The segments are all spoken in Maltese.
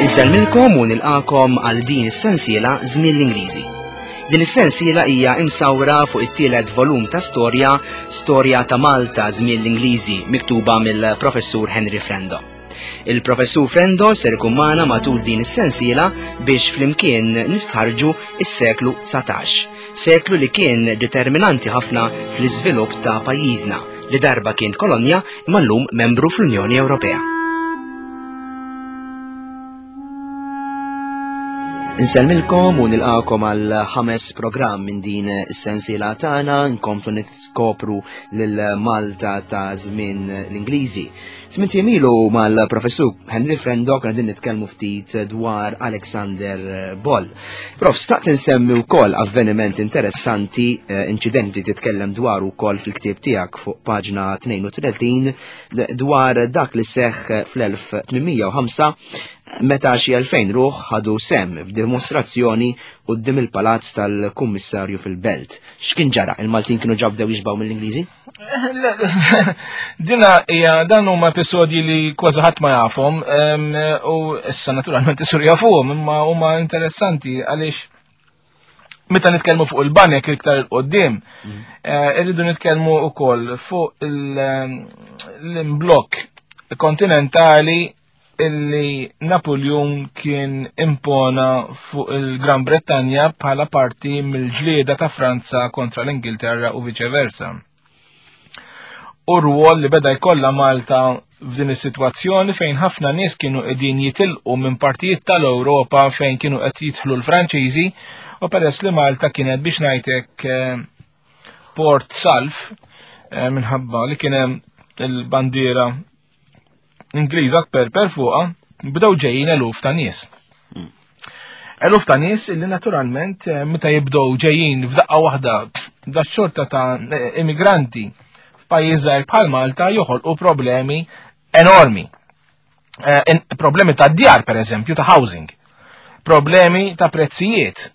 Insellmilkom u nilqakom għal din is-sensiela Żmien l-Ingliżi. Din is-sensiela hija imsawra fuq it-tielet volum ta' storja, Storja ta' Malta Żmien l-Ingliżi, miktuba mill-Professur Henry Frendo. Il-Professur Frendo ser ikun magħna matul din is-sensiela biex flimkien nistħarġu is-seklu 19, seklu li kien determinanti ħafna fl-iżvilupp ta' pajjiżna li darba kien kolonja imma llum membru fl-Unjoni Ewropea. Insellmilkom u nilqakom għal ħames programm minn din is-sensiela tagħna nkomplu niskopru lil Malta ta' żmien l-Ingliżi. Tmint ilu mal-professur Henry Frendo kena din nitkellmu ftit dwar Alexander Boll. Prof, staqt insemmi wkoll avveniment interessanti, eh, inċidenti titkellem dwar ukoll fil-ktieb tiegħek fuq paġna 32 dwar dak li seħħ fl-1805 meta xi 2000 ruħ ħadu sem f'dimostrazzjoni quddiem il-palazz tal-kummissarju fil-belt. X'kien ġara? Il-Maltin kienu ġabdew jixbaw mill-Ingliżi? Dina hija dan huma episodji li kważi ħadd ma jafhom u issa naturalment isur jafuhom imma huma interessanti għaliex meta nitkellmu fuq il-banek iktar il-qoddim, mm. eh, irridu nitkellmu wkoll fuq l-imblokk kontinentali illi Napoleon kien impona fuq il-Gran Brettanja bħala parti mill-ġlieda ta' Franza kontra l-Ingilterra u viċeversa. U rwol li beda jkollha Malta f'din is-sitwazzjoni fejn ħafna nies kienu qegħdin jitilqu minn partijiet tal-Ewropa fejn kienu qed jidħlu l-Franċiżi u peress li Malta kienet biex ngħidlek eh, port salf eh, minħabba li kien hemm il-bandiera Ingliża tperper fuqha, bdew ġejjin eluf ta' nies. Hmm. Eluf ta' nies illi naturalment eh, meta jibdew ġejjin f'daqqa waħda da xorta ta' eh, immigranti f'pajjiż żgħir bħal Malta joħolqu problemi enormi. Eh, problemi ta' djar per eżempju, ta' housing. Problemi ta' prezzijiet.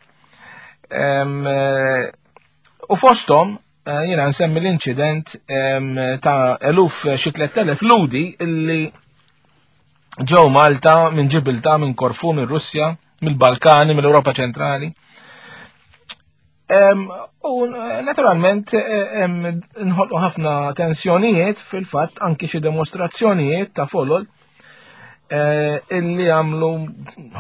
U fosthom Eh, jiena nsemmi l-inċident ta' eluf eh, xi 3000 ludi illi ġew Malta minn Ġibilta, minn Korfu, minn Russja, mill-Balkani, mill-Ewropa ċentrali. U eh, naturalment nħolqu ħafna tensjonijiet fil-fatt anki xi demostrazzjonijiet ta' folol illi għamlu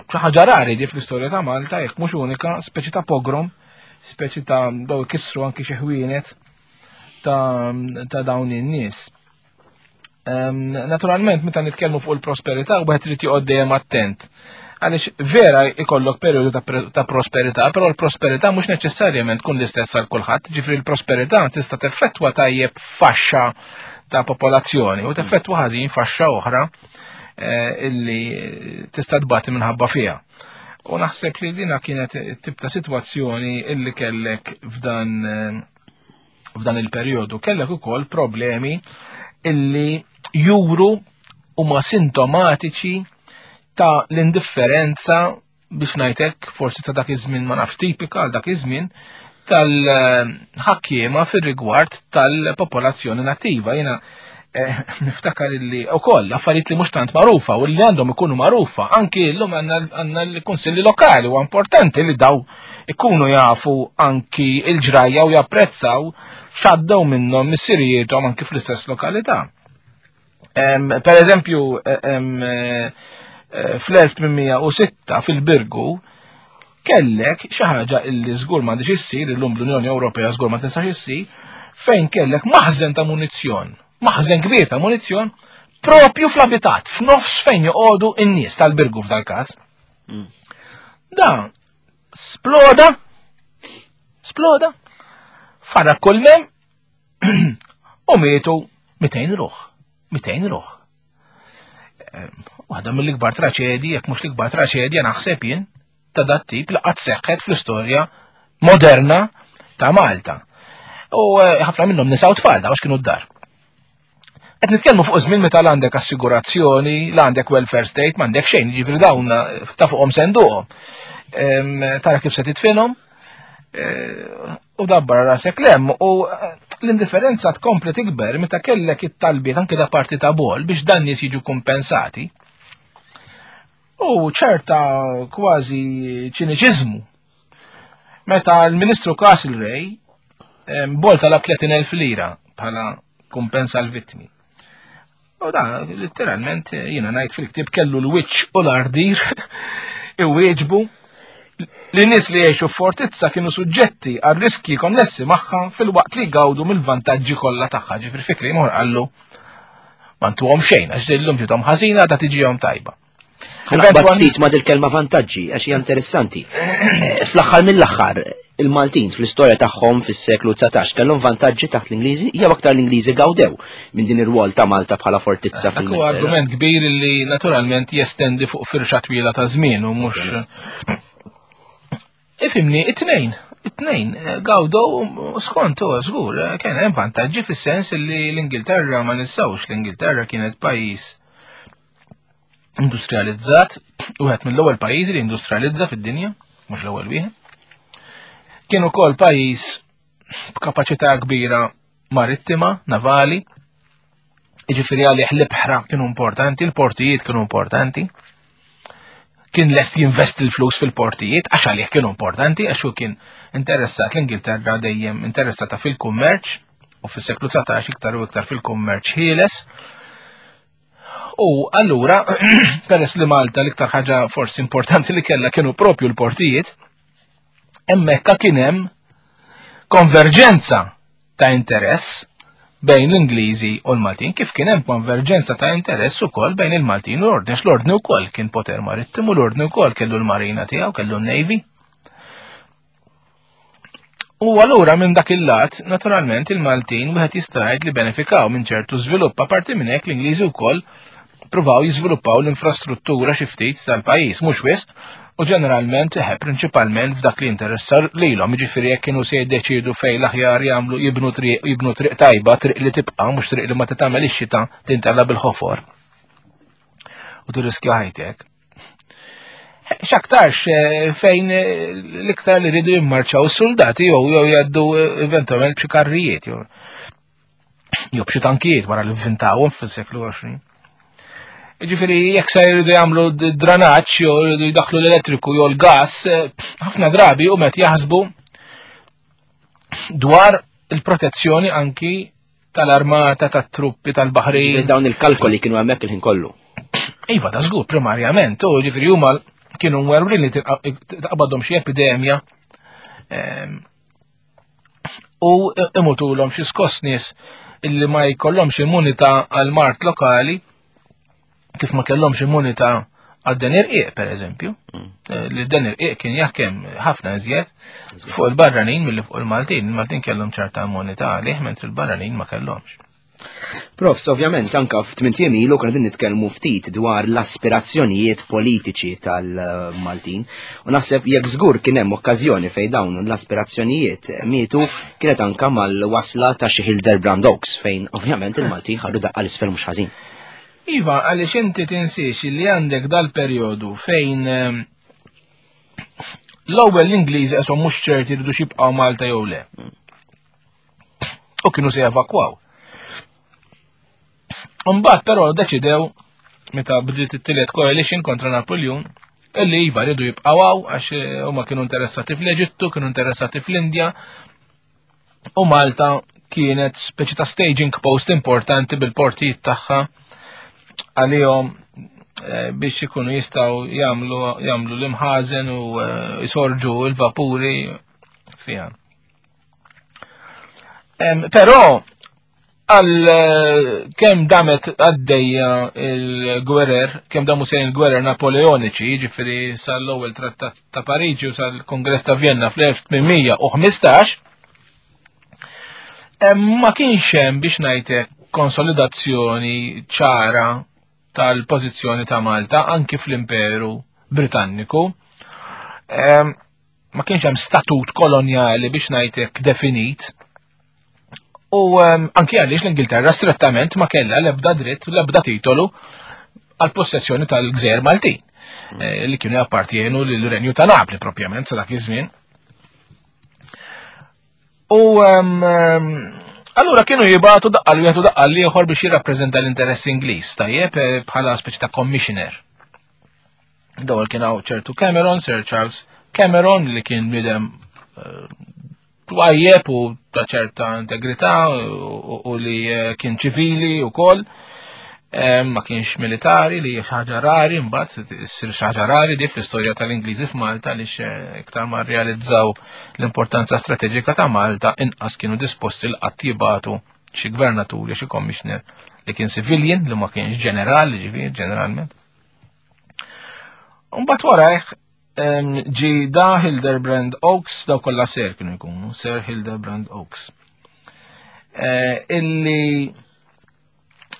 xi ħaġa rari di fl-istorja ta' Malta, jekk mhux unika, speċi ta' pogrom, speċi ta' daw ikissru anki xi ħwienet ta', ta dawn in-nies. Naturalment, meta nitkellmu fuq il-prosperità, wieħed irid joqgħod dejjem attent. Għaliex vera ikollok periodu ta', ta prosperità, però l-prosperità mhux neċessarjament tkun l-istess għal kulħadd, ġifri l-prosperità tista' teffettwa tajjeb faxxa ta' popolazzjoni u teffettwa ħażin faxxa oħra eh, illi tista' tbati minħabba fiha. U naħseb li dina kienet tip ta' sitwazzjoni illi kellek f'dan eh, f'dan il-perjodu. Kellek ukoll problemi illi juru huma sintomatiċi ta' l-indifferenza biex ngħidlek forsi ta' dak iż-żmien ma nafx tipika għal dak iż-żmien tal-ħakkiema fir-rigward tal-popolazzjoni nattiva. Jiena eh, niftakar illi ukoll affarijiet li mhux tant magħrufa u li għandhom ikunu magħrufa anki llum għandna l-kunsilli lokali u importanti li daw ikunu jafu anki il-ġrajja u japprezzaw x'għaddew minnhom missirijiethom anki fl-istess lokalità. Per eżempju, eh, eh, fl-1806 fil-Birgu kellek xi ħaġa illi żgur m'għandix issir illum l-Unjoni Ewropea żgur ma tistax issir fejn kellek maħżen ta' munizzjon, maħżen kbir ta' munizzjon propju fl-abitat, f'nofs fejn joqogħdu n-nies tal-Birgu f'dal-każ. Mm. Da sploda, sploda, farra kull mem U mietu 200 ruħ. 200 ruħ. Waħda mill-ikbar traċedji, jekk mhux l-ikbar traċedja naħseb jien ta' dat tip li qatt seħħet fl-istorja moderna ta' Malta. U eh, ħafna minnhom nisa u tfal daw kienu d-dar. Qed nitkellmu fuq żmien meta l għandek assigurazzjoni, l għandek welfare state, m'għandek xejn, jiġifieri dawn eh, ta' fuqhom senduhom. Tara kif se titfinhom eh, u dabbar rasek lem u eh, l-indifferenza tkompli tikber meta kellek it-talbiet anke da parti ta' bol biex dan nies jiġu kompensati. U ċerta kważi ċiniċiżmu. Meta l-Ministru Castlereagh bol talab 30,000 lira bħala kumpens għal vittmi. U da, literalment, jiena ngħid fil-ktieb kellu l-wiċċ u l-ardir iwieġbu li nies li jgħixu f'fortizza kienu suġġetti għal riskji konnessi magħha filwaqt li jgawdu mill-vantaġġi kollha tagħha. Ġifieri fi kliem qallu ma ntuhom xejn għax dillum ġiethom ħażina ta' tiġihom tajba. Ħanaqbad ftit ma' dil-kelma vantaġġi għax hija interessanti. Eh, fl-aħħar mill-aħħar, il-Maltin fl-istorja tagħhom fis-seklu 19 kellhom vantaġġi taħt l-Ingliżi jew aktar l-Ingliżi gawdew minn din ir-rwol ta' Malta bħala fortizza fil Dak argument kbir li naturalment jestendi fuq firxa twila ta' żmien u mhux Ifimni, it-tnejn, it-tnejn, eh, gawdow skont u żgur, eh, kien hemm vantaġġi fis-sens li l-Ingilterra ma ninsawx, l-Ingilterra kienet pajjiż industrializzat, wieħed mill-ewwel pajjiżi li industrializza fid-dinja, mhux l-ewwel wieħed. Kien ukoll pajjiż b'kapaċità kbira marittima, navali, jiġifieri għalih l-ibħra kienu importanti, l-portijiet kienu importanti. Kien lest jinvesti l-flus fil-portijiet, għax għalih kienu importanti, għax hu kien interessat l-Ingilterra dejjem interessata fil-kummerċ, u fis-seklu 19 iktar u iktar fil-kummerċ ħieles. U allura, peress li Malta l-iktar ħaġa forsi importanti li kellha kienu propju l-portijiet, hemmhekk kien hemm konverġenza ta' interess bejn l-Ingliżi u l-Maltin, kif kien hemm konverġenza ta' interess ukoll bejn il-Maltin u l-Ordni, l-Ordni wkoll kien poter marittimu, l-Ordni wkoll kellu l-marina tiegħu, kellu n-Navy. U allura minn dak il-lat, naturalment il-Maltin wieħed jista' jgħid li benefikaw minn ċertu żvilupp, apparti minn hekk l-Ingliżi wkoll pruvaw jiżviluppaw l-infrastruttura xi ftit tal-pajjiż, mhux wisq, u ġeneralment eħe prinċipalment f'dak li interessa lilhom, jiġifieri jekk kienu se jiddeċiedu fejn l-aħjar jagħmlu jibnu triq jibnu triq tajba, triq li tibqa' mhux triq li ma titgħamel ix-xita tintella bil-ħofor. U tirriskja ħajtek. X'aktarx eh, fejn eh, l-iktar li rridu jimmarċaw is-soldati jew jew jgħaddu eh, eventualment b'xi karrijiet jew jew b'xi tankijiet wara li vvintawhom fis-seklu 20. Ġifieri jekk se jridu jagħmlu dranaġġ jew jridu jdaħħlu l-elettriku jew l-gas, ħafna drabi u met jaħsbu dwar il-protezzjoni anki tal-armata, tat-truppi, tal-baħrin. Dawn il-kalkoli kienu hemmhekk il-ħin kollu. Iva, ta' żgur, primarjament, u ġifieri huma kienu mwerwrin li taqbadhom xi epidemja ehm, u imutulhom xi skoss nies illi ma jkollhomx immunità għal mart lokali kif ma kellhomx immunità għal dan irqiq per eżempju, mm. eh, li dan irqiq kien jaħkem ħafna iżjed fuq il-barranin milli fuq il-Maltin. Il-Maltin kellhom ċerta immunità għalih mentri il-barranin ma kellhomx. Profs, ovvjament, anka f'tmint ilu konna din nitkellmu ftit dwar l-aspirazzjonijiet politiċi tal-Maltin. U naħseb jekk żgur kien hemm okkażjoni fejn dawn l-aspirazzjonijiet mietu kienet anka mal-wasla ta' xi Hildebrand Oaks fejn ovvjament il-Maltin ħadu daqqa l-isfel mhux ħażin. Iva, għaliex inti tinsiex li għandek dal-perjodu fejn ehm, l-ewwel l-Ingliżi qeshom mhux ċerti jridu jibqgħu Malta jew le. U kienu se jevakwaw. Mbagħad però deċidew meta bdiet it-tielet coalition kontra Napoleon illi iva rridu jibqgħu għax eh, huma kienu interessati fl-Eġittu, kienu interessati fl-Indja, U Malta kienet speċi ta' staging post importanti bil-portijiet tagħha għalihom eh, biex ikunu jistaw jagħmlu jagħmlu l-imħażen u eh, jsorġu l-vapuri fiha. Però għal eh, kemm damet għaddejja il-gwerer, kemm damu sejn il-gwerer Napoleoniċi, jiġifieri sal-ewwel trattat ta' Pariġi u sal-Kongress ta' Vienna fl-1815, ma kienx hemm biex ngħidlek konsolidazzjoni ċara tal-pożizzjoni ta' Malta anki fl-Imperu Britanniku. Ma kienx hemm statut kolonjali biex ngħidlek definit. U ehm, anki għaliex l-Ingilterra strettament ma kellha l-ebda dritt, l-ebda titolu għal possessjoni tal-gżejjer Maltin mm. eh, li kienu jappartienu lill-Renju ta' Napli propjament sa dak iż-żmien. U ehm, ehm, allura kienu jibatu daqqal wieħed u daqqal ieħor biex jirrappreżenta l-interess Ingliż, tajjeb eh, bħala speċi ta' commissioner. L-ewwel kien hawn ċertu Cameron, Sir Charles Cameron, li kien bniedem eh, twajjeb u ta' ċerta integrità u li eh, kien ċivili u koll. Eh, ma kienx militari li ħaġa rari, mbagħad issir ħaġa rari di fl-istorja tal-Ingliżi f'Malta li iktar ma rrealizzaw l-importanza strateġika ta' Malta inqas kienu disposti l qatt jibatu xi gvernaturi, xi commissioner li kien civilian li ma kienx ġenerali, ġifieri ġeneralment. Mbagħad warajh ġi da Hildebrand Oaks, daw kollha ser kienu jkunu, Sir Hildebrand Oaks. Eh, illi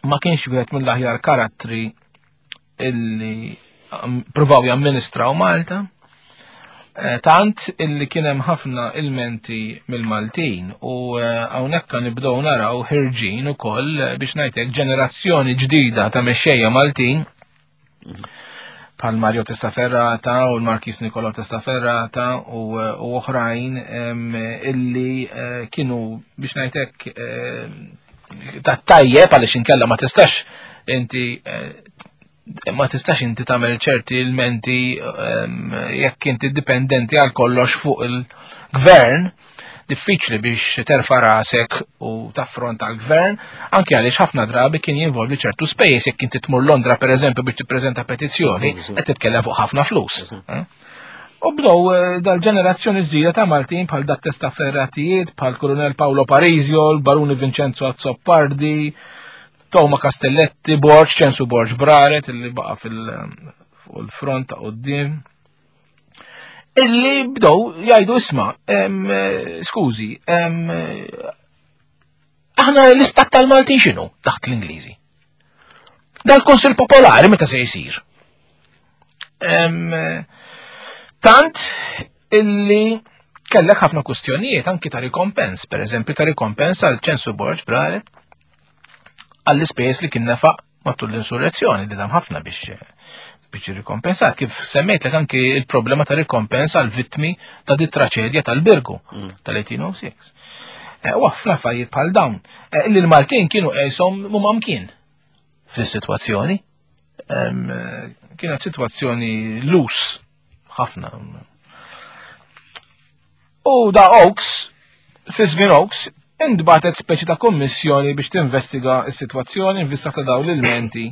ma kienx wieħed mill-aħjar karattri illi provaw jamministraw Malta. Eh, tant illi kien hemm ħafna ilmenti mill-Maltin u eh, hawnhekk nibdew naraw ħirġin ukoll biex ngħidlek ġenerazzjoni ġdida ta' mexxejja Maltin bħal Mario Testaferrata u l-Markis Nicolo Testaferrata u oħrajn illi eh, kienu biex ngħidlek eh, ta' tajjeb għaliex inkella ma tistax inti eh, ma tistax inti tagħmel ċerti ilmenti jekk inti dipendenti għal kollox fuq il-gvern diffiċli biex terfa' rasek u taffronta l-gvern, anke għaliex ħafna drabi kien jinvolvi ċertu spejjeż jekk inti tmur Londra pereżempju biex tippreżenta petizzjoni, qed titkellem fuq ħafna flus. Eh? U bdew eh, dal-ġenerazzjoni ġdida ta' Maltin bħal dat testa ferratijiet, bħal Kolonel Paolo Parisio, l-Baruni Vincenzo Azzopardi, Toma Castelletti, Borġ, Ċensu Borġ Braret, illi baqa fil-front ta' qoddim illi bdew jgħidu isma' eh, skużi, eh, aħna l-istat tal-Maltin x'inhu taħt l-Ingliżi. Dal-Konsil Popolari meta se jsir. Tant illi kellek ħafna kustjonijiet anki ta' rikompens, per eżempju ta' rikompens għal ċensu Borġ Braret għall-ispejjeż li kien nefaq matul l-insurrezzjoni li dam ħafna biex biex rikompensat. Kif semmejtlek anki il-problema ta' rikompens għal vittmi ta' dit traċedja tal-Birgu tal-1806. Eh, u ħafna affarijiet bħal dawn. Eh, li l-Maltin kienu qeshom mhuma mkien fis-sitwazzjoni. Eh, kienet sitwazzjoni lus ħafna. U da Oaks, fi żmien Oaks, intbatet speċi ta' kommissjoni biex tinvestiga s-sitwazzjoni in vista ta' dawn l-ilmenti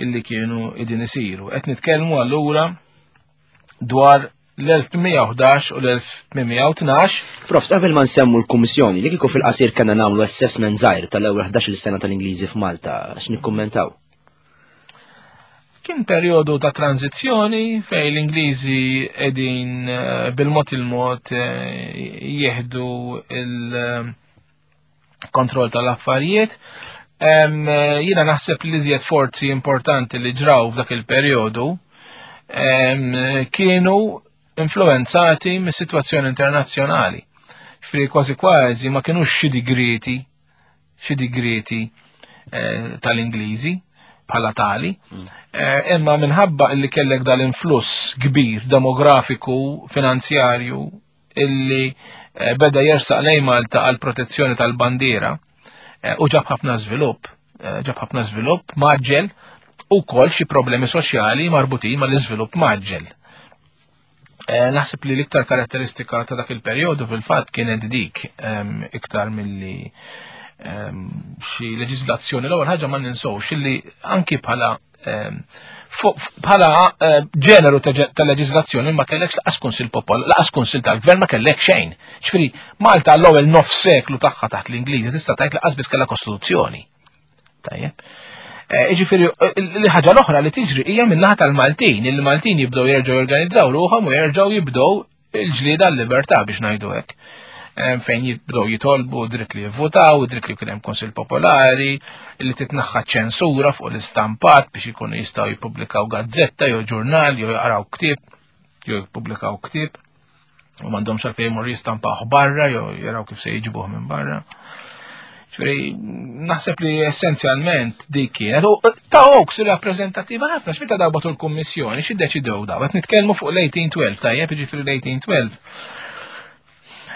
illi kienu idin isiru. Qed nitkellmu allura dwar l-1811 u l-1812. Profs, qabel ma nsemmu l-Kummissjoni, li kieku fil-qasir kellna nagħmlu assessment żgħir tal-ewwel 11-il sena tal-Ingliżi f'Malta, x'nikkummentaw? Kien perjodu ta' tranzizzjoni fej l-Ingliżi qegħdin eh, bil-mod il-mod eh, jieħdu il-kontroll tal-affarijiet. Eh, jiena naħseb li iżjed forzi importanti li ġraw f'dak il-perjodu kienu influenzati mis-sitwazzjoni internazzjonali. Fri kważi kważi ma kienux xi digreti xi digrieti eh, tal-Ingliżi bħala tali, mm. eh, imma minħabba illi kellek dal-influss kbir demografiku, finanzjarju, illi eh, beda jersaq lejn Malta għal protezzjoni tal-bandiera u ġab ħafna żvilupp, ġab ħafna żvilupp maġġel u kol xi problemi soċjali marbutin mal-iżvilupp maġġel. Eh, naħseb li l-iktar karatteristika ta' dak il-perjodu fil-fatt kienet dik ehm, iktar milli ehm, xi leġiżlazzjoni. L-ewwel ħaġa ma ninsewx illi anki bħala ehm, bħala eh, ġeneru ta' leġiżlazzjoni ma kellekx laqas kunsil popol, laqas kunsil tal-gvern ma kellek xejn. Ġifieri Malta l-ewwel nof seklu tagħha taħt l-Ingliżi tista' tgħid laqas biss kellha kostituzzjoni. Tajjeb. Eh, ġifieri, eh, li ħaġa l-oħra li tiġri hija min-naħa tal-Maltin, il-Maltin jibdew jerġgħu jorganizzaw ruħhom u jerġgħu jibdew il-ġlieda l-libertà biex ngħidu hekk. Eh, fejn jibdew jitolbu dritt li jivvutaw, dritt li jkun hemm Kunsill Popolari, li titnaħħa ċensura fuq l-istampat biex ikunu jistgħu jippubblikaw gazzetta jew ġurnal jew jaqraw ktieb jew jippubblikaw ktieb u m'għandhomx għalfejn jmorru jistampawh barra jew jaraw kif se jiġbuh minn barra. Ġifieri naħseb li essenzjalment dik kienet. U ta' Oaks rappreżentattiva ħafna x'meta daw batu l-kummissjoni xi ddeċidew daw qed nitkellmu fuq l-1812 tajjeb jiġifieri l-1812.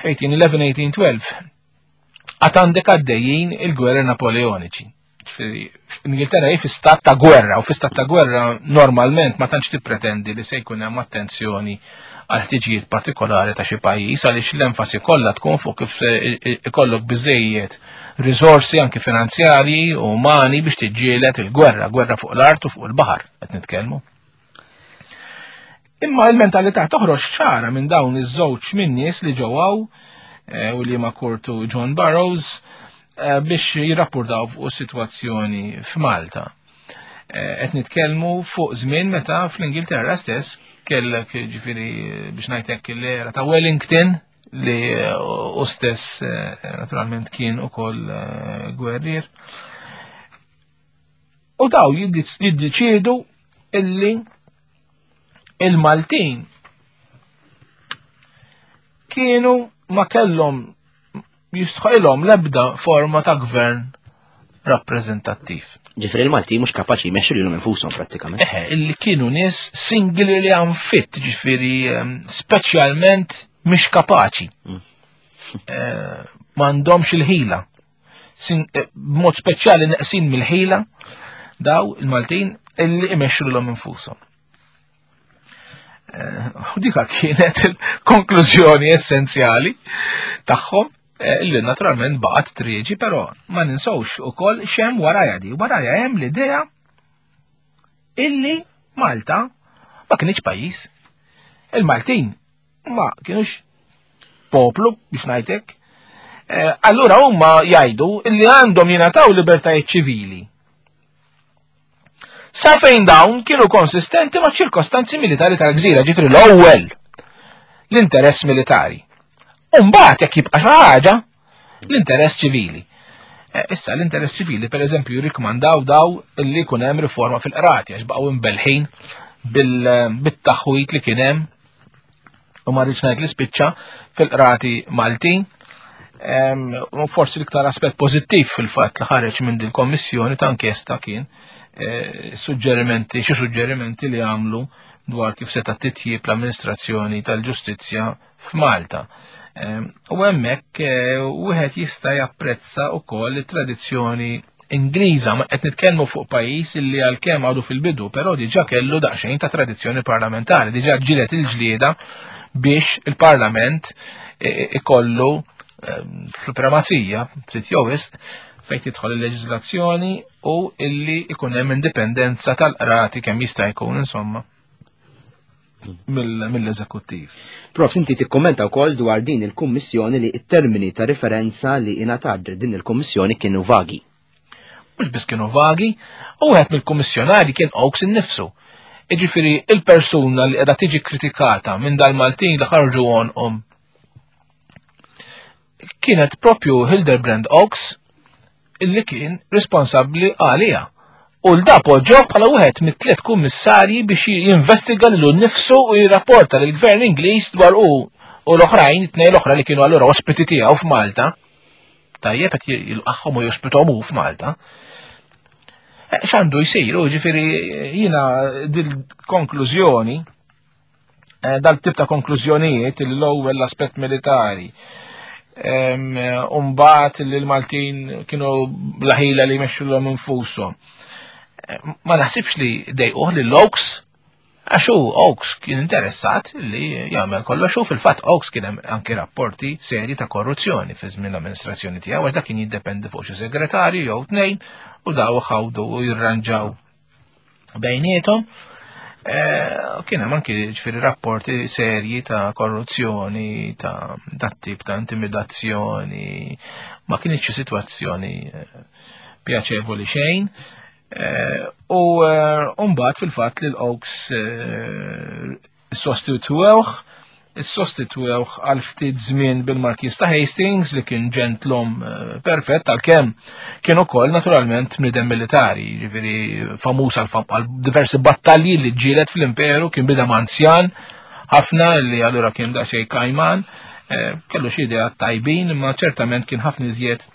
1811 1812. Għad għandek għaddejjin il-gwerra Napoleoniċi. Ġifieri, Ingilterra hi fi stat ta' gwerra u fi stat ta' gwerra normalment ma tantx tippretendi li se jkun hemm attenzjoni għal ħtiġijiet partikolari ta' xi pajjiż għaliex l-enfasi kollha tkun fuq kif ikollok biżejjed riżorsi anki finanzjarji u umani biex tiġġieled il-gwerra, gwerra fuq l-art u fuq il-baħar qed nitkellmu. Imma l-mentalità toħroġ ċara minn dawn iż-żewġ min-nies li ġew eh, u li ma kurtu John Burroughs eh, biex jirrapportaw fuq is-sitwazzjoni f'Malta. Eh, qed nitkellmu fuq żmien meta fl-Ingilterra stess kellek ġifieri biex ngħidlek l-era ta' Wellington li u stess naturalment kien ukoll gwerrier. U daw jiddeċiedu illi il-Maltin kienu ma kellhom jistħilhom l-ebda forma ta' gvern rappreżentattiv. Ġifri il-Malti mhux kapaċi jmexxu lilhom infushom prattikament. Eħe, illi kienu nies singularly unfit, ġifieri ehm, speċjalment mhix kapaċi. Mm. Eh, m'għandhomx il-ħila. Eh, b'mod speċjali neqsin mill-ħila daw il-Maltin illi imexxu lilhom infushom. Eh, u dika kienet il-konklużjoni essenzjali tagħhom eh, illi naturalment baqgħet trieġi, però ma ninsewx ukoll xem warajja di. Warajja hemm l-idea illi Malta ma kienx pajjiż. Il-Maltin ma kienux poplu biex ngħidlek. Eh, allura huma jgħidu li għandhom jingħataw libertajiet ċivili. Sa fejn dawn kienu konsistenti ma' ċirkostanzi militari tal-gżira, ġifri l-ewwel l-interess militari. Umbagħad jekk jibqa' xi ħaġa, l-interess ċivili. Eh, issa l-interess ċivili per eżempju jirrikmandaw daw li jkun hemm riforma fil-qrati għax baqgħu imbelħin bil-taħwit li kien hemm u ma rridx ngħid li spiċċa fil-qrati Maltin. U forsi l-iktar aspett pożittiv fil-fatt li ħareġ minn din kommissjoni ta' inkjesta kien eh, suġġerimenti, xi suġġerimenti li għamlu dwar kif seta' titjib l-amministrazzjoni tal-ġustizzja f'Malta. U hemmhekk eh, wieħed jista' japprezza wkoll it-tradizzjoni Ingliża, ma qed nitkellmu fuq pajjiż illi għalkemm għadu fil-bidu, però diġà kellu daqsxejn ta' tradizzjoni parlamentari, diġà ġilet il-ġlieda biex il-Parlament eh, ikollu supremazija ftit jew wisq fejn tidħol il-leġiżlazzjoni u illi ikun hemm indipendenza tal-qrati kemm jista' jkun insomma mill-eżekuttiv. Prof, inti tikkommenta wkoll dwar din il-kummissjoni li t-termini ta' referenza li ingħatat din il-kummissjoni kienu vagi. Mhux biss kienu vagi, u wieħed mill-kummissjonari kien Oaks innifsu. Iġifieri il-persuna li qiegħda tiġi kritikata minn dal-Maltin li ħarġu għonqhom kienet propju Hildebrand Oaks illi kien responsabbli għalija. U l-da poġġoh bħala wieħed mit-tliet kummissarji biex jinvestiga lilu nnifsu u jirrapporta lill gvern Ingliż dwar u u l-oħrajn, it-tnejn l-oħra li kienu allura ospiti tiegħu f'Malta. Tajjeb qed jilqagħhom u jospithom hu f'Malta. Eh, x'għandu jsir, u ġifieri jiena dil-konklużjoni Eh, dal-tip ta' konklużjonijiet li l-ewwel l-aspett militari. Umbat li l-Maltin kienu blaħila li jmexxu l-hom infushom. Eh, ma naħsibx li dejquh li l-Oaks għax hu Oaks kien interessat li jagħmel kollox u fil-fatt Oaks kien hemm anki rapporti serji ta' korruzzjoni fi żmien l-amministrazzjoni tiegħu għax dak kien jiddependi fuq xi segretarju jew tnejn u daw ħawdu u jirranġaw bejnietom. Eh, kien hemm anki ġifieri rapporti serji ta' korruzzjoni, ta' dat tip ta' intimidazzjoni, ma kienx sitwazzjoni eh, pjaċevoli xejn. Eh, u mbagħad fil-fatt li l-Oaks Sostitwewh, sostitwewh għal ftit żmien bil-Markiż ta' Hastings li kien ġentlom eh, perfett għalkemm kien ukoll naturalment bniedem militari, jiġifieri famuż għal diversi battalji li ġġieled fl-imperu, kien bidem anzjan ħafna li allura kien daqsxejn kajman, eh, kellu xi idea tajbin, imma ċertament kien ħafna iżjed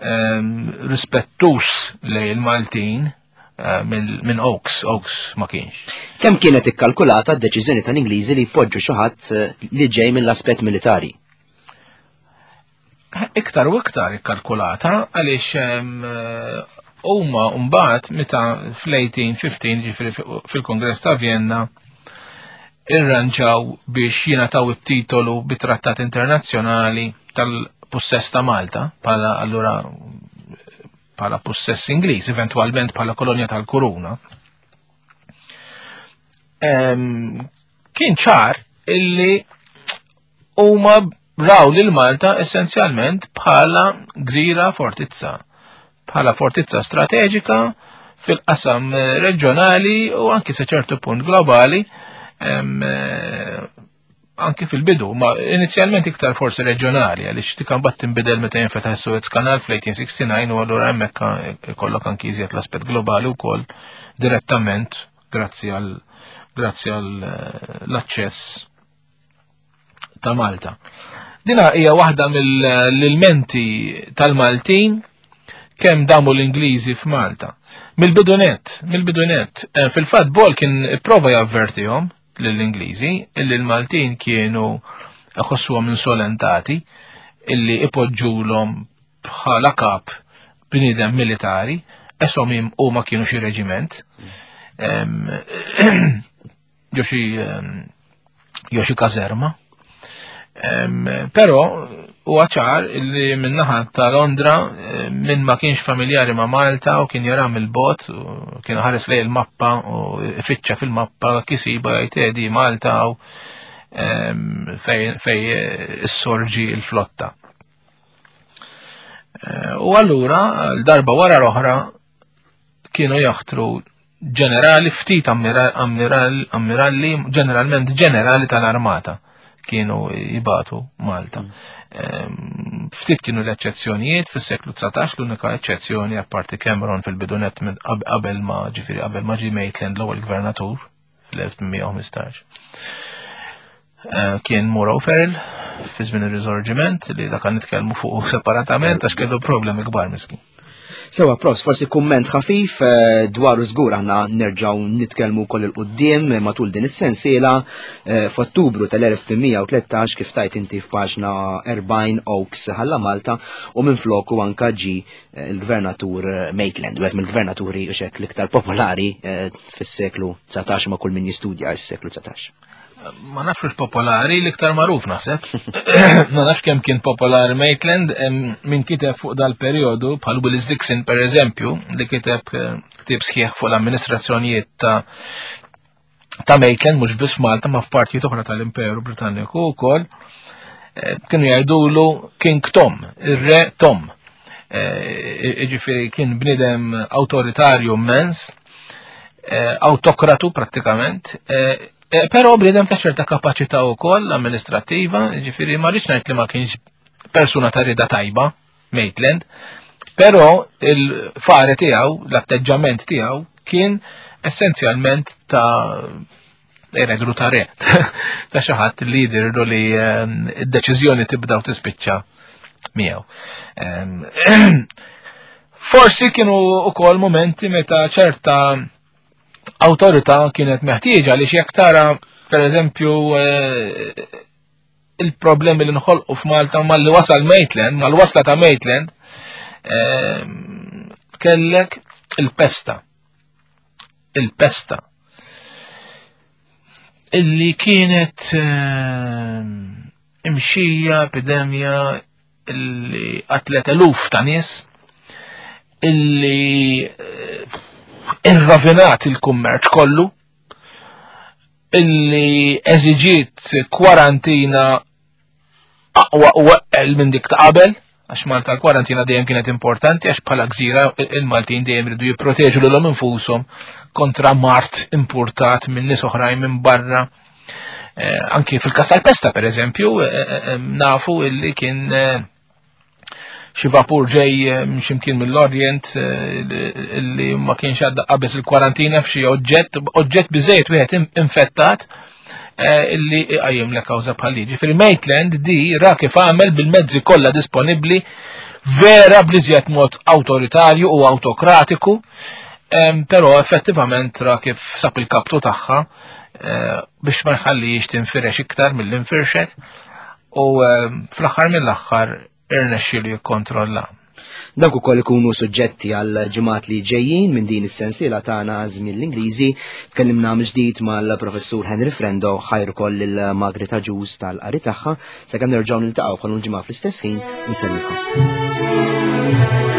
ehm, rispettus lejn il-Maltin Eh, minn Oaks, Oaks ma kienx. Kemm kienet ikkalkulata d-deċiżjoni tal-Ingliżi li jpoġġu xi ħadd eh, li ġej mill-aspett militari? Iktar u iktar ikkalkulata għaliex eh, Huma mbagħad meta fl-1815 ġifieri fil-Kongress ta' Vienna irranġaw biex jingħataw it-titolu bi trattat internazzjonali tal-pussess ta' Malta bħala allura bħala pussess Ingliż, eventwalment bħala kolonja tal-Kuruna. Kien ċar illi huma raw lil Malta essenzjalment bħala gżira fortizza, bħala fortizza strateġika fil-qasam eh, reġjonali u anki sa ċertu punt globali eh, anki fil-bidu, ma inizjalment iktar forsi reġjonali għaliex dik mbagħad tinbidel meta jinfetaħ is-Suez Canal fl-1869 u allura hemmhekk ikollok anki iżjed l-aspett globali wkoll direttament grazzi għal grazzi għal eh, l-aċċess ta' Malta. Dina hija waħda mill-ilmenti tal-Maltin kemm damu l-Ingliżi f'Malta. Mill-bidunet, mill-bidunet, eh, fil-fatt Bol kien prova javvertihom lill-Ingliżi illi l-Maltin kienu ħossuhom insolentati illi ipoġġulhom bħala kap bniedem militari, esom huma kienu xi reġiment. Ġo xi ġo xi kazerma. Però huwa ċar li min-naħa ta' Londra minn ma kienx familjari ma' Malta u kien jara mill-bot, kien ħares lej il-mappa u fittxa fil-mappa kisiba jgħid di Malta u fej issorġi l-flotta. Eh, u allura, l-darba wara l-oħra, kienu jaħtru ġenerali, ftit ammiralli, ġeneralment ġenerali tal-armata kienu jibatu Malta. Mm. Ehm, ftit kienu l-eċċezzjonijiet fis-seklu 19, l-unika eċċezzjoni apparti Cameron fil-bidunet qabel ma ġifieri qabel ma ġie Maitland l-ewwel gvernatur fl-1815. Eh, kien Muro Ferrell fi żmien ir-Risorġiment li dak nitkellmu fuq separatament għax kellu problemi kbar miskin. Sewa, pros, forsi kumment ħafif eh, dwar żgur aħna nerġgħu nitkellmu wkoll il-qudiem matul din is-sensiela eh, f'Ottubru tal-1813 kif tajt inti f'paġna 40 Oaks ħalla Malta u minn floku anka ġi eh, il-gvernatur Maitland, wieħed mill-gvernaturi xek l-iktar popolari fis-seklu 19 ma' kull min jistudja s-seklu 19. Ma nafx popolari, l-iktar magħruf naħseb. Ma nafx kemm kien popolari Maitland, min kiteb fuq dal-perjodu, bħal Willis Dixon per eżempju, li kiteb eh, ktieb sħiħ fuq l-amministrazzjonijiet ta' ta' Maitland, mhux biss Malta, ma f'partijiet oħra tal-Imperu Britanniku wkoll, eh, kienu jgħidulu King Tom, ir-Re Tom. Eh, ġifieri kien bniedem awtoritarju immens, autokratu prattikament, Eh, però bniedem ta' ċerta kapaċità wkoll amministrattiva, ġifieri ma rridx ngħid li ma kienx persuna ta' rida tajba, Maitland, però il-fare tiegħu, l-atteġġament tiegħu kien essenzjalment ta' eredru ta' re, ta' xi ħadd li jidirlu li ehm, d-deċiżjoni tibda u tispiċċa miegħu. Ehm, forsi kienu ukoll momenti meta ċerta awtorità kienet meħtieġa li jekk tara pereżempju eh, il-problemi li nħolqu f'Malta mal-li wasal Maitland, mal-wasla ta' Maitland, eh, kellek il-pesta. Il-pesta. Illi kienet eh, imxija, epidemja, illi qatlet eluf ta' nies illi eh, irravinat il-kummerċ kollu illi eżiġiet kwarantina aqwa u eqqel minn dik ta' qabel għax Malta l-kwarantina dejjem kienet importanti għax bħala gżira il-Maltin dejjem ridu jipproteġu lilhom infushom kontra mart importat minn nies oħrajn minn barra Eh, anki fil-kas tal-pesta, per eżempju, eh, eh, nafu illi kien xi vapur ġej ximkien mill-Orient illi ma kienx għadda qabeż il-kwarantina f'xi oġġett, oġġett biżejjed wieħed infettat illi iqajjem le kawża bħal liġi. Fil Maitland di ra kif għamel bil-mezzi kollha disponibbli vera bliżjed mod awtoritarju u awtokratiku, però effettivament ra kif sab il-kaptu tagħha Eh, biex ma jħallix tinfirex iktar mill-infirxet u eh, fl-aħħar mill-aħħar irnexxielu jikkontrolla. Dawk ukoll ikunu suġġetti għal ġimgħat li ġejjin minn din is-sensiela tagħna żmien l-Ingliżi. Tkellimna mill-ġdid mal-Professur Henry Frendo ħajr ukoll lil Margaret Agius tal-qari tagħha sakemm nerġgħu niltaqgħu bħal ġimgħa fl-istess ħin insellmilkom.